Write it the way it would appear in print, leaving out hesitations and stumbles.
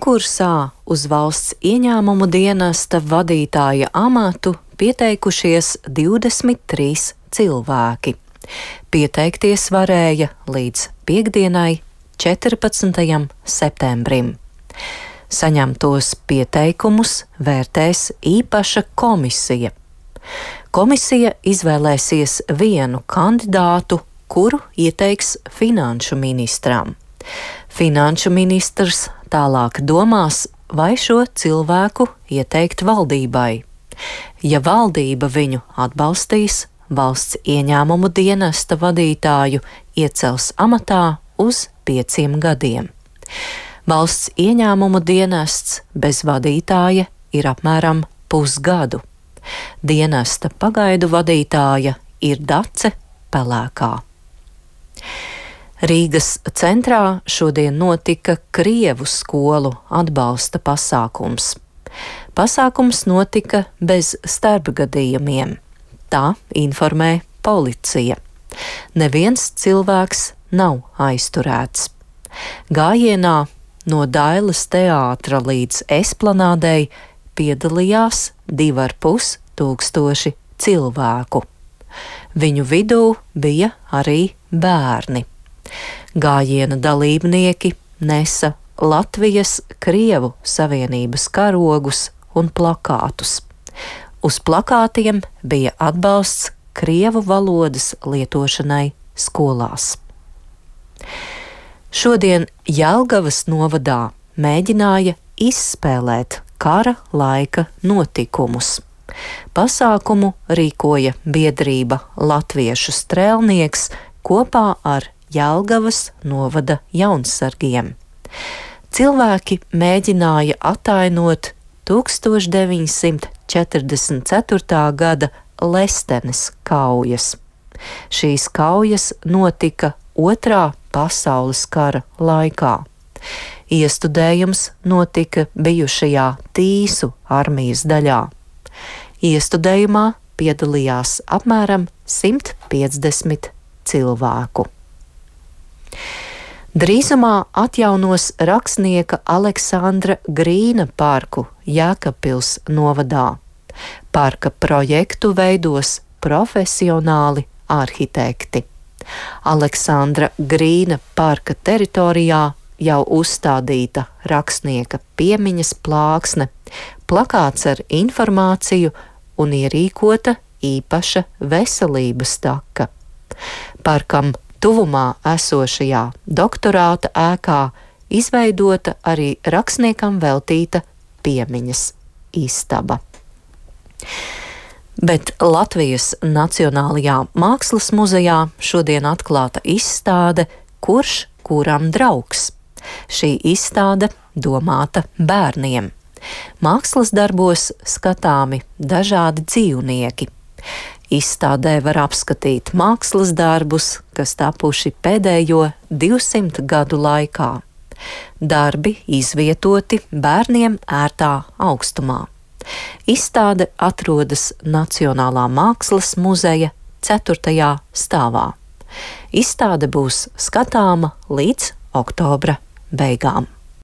Konkursā uz valsts ieņēmumu dienesta vadītāja amatu pieteikušies 23 cilvēki. Pieteikties varēja līdz piektdienai, 14. septembrim. Saņemtos pieteikumus vērtēs īpaša komisija. Komisija izvēlēsies vienu kandidātu, kuru ieteiks finanšu ministram. Finanšu ministrs tālāk domās, vai šo cilvēku ieteikt valdībai. Ja valdība viņu atbalstīs, valsts ieņēmumu dienesta vadītāju iecels amatā uz 5 gadiem. Valsts ieņēmumu dienests bez vadītāja ir apmēram pusgadu. Dienesta pagaidu vadītāja ir Dace Pelēkā. Rīgas centrā šodien notika Krievu skolu atbalsta pasākums. Pasākums notika bez starpgadījumiem. Tā informē policija. Neviens cilvēks nav aizturēts. Gājienā no Dailes teātra līdz Esplanādei piedalījās 2,5 tūkstoši cilvēku. Viņu vidū bija arī bērni. Gājiena dalībnieki nesa Latvijas Krievu Savienības karogus un plakātus. Uz plakātiem bija atbalsts krievu valodas lietošanai skolās. Šodien Jelgavas novadā mēģināja izspēlēt kara laika notikumus. Pasākumu rīkoja biedrība Latviešu strēlnieks kopā ar Jelgavas novada jaunsargiem. Cilvēki mēģināja atainot 1944. gada Lestenes kaujas. Šīs kaujas notika Otrā pasaules kara laikā. Iestudējums notika bijušajā Tīsu armijas daļā. Iestudējumā piedalījās apmēram 150 cilvēku. Drīzumā atjaunos rakstnieka Aleksandra Grīna parku Jēkabpils novadā. Parka projektu veidos profesionāli arhitekti. Aleksandra Grīna parka teritorijā jau uzstādīta rakstnieka piemiņas plāksne, plakāts ar informāciju un ierīkota īpaša veselības taka. Parkam tuvumā esošajā doktorāta ēkā izveidota arī rakstniekam veltīta piemiņas istaba. Bet Latvijas Nacionālajā mākslas muzejā šodien atklāta izstāde Kurš kuram draugs? Šī izstāde domāta bērniem. Mākslas darbos skatāmi dažādi dzīvnieki. Izstādē var apskatīt mākslas darbus, kas tapuši pēdējo 200 gadu laikā. Darbi izvietoti bērniem ērtā augstumā. Izstāde atrodas Nacionālā mākslas muzeja 4. stāvā. Izstāde būs skatāma līdz oktobra beigām.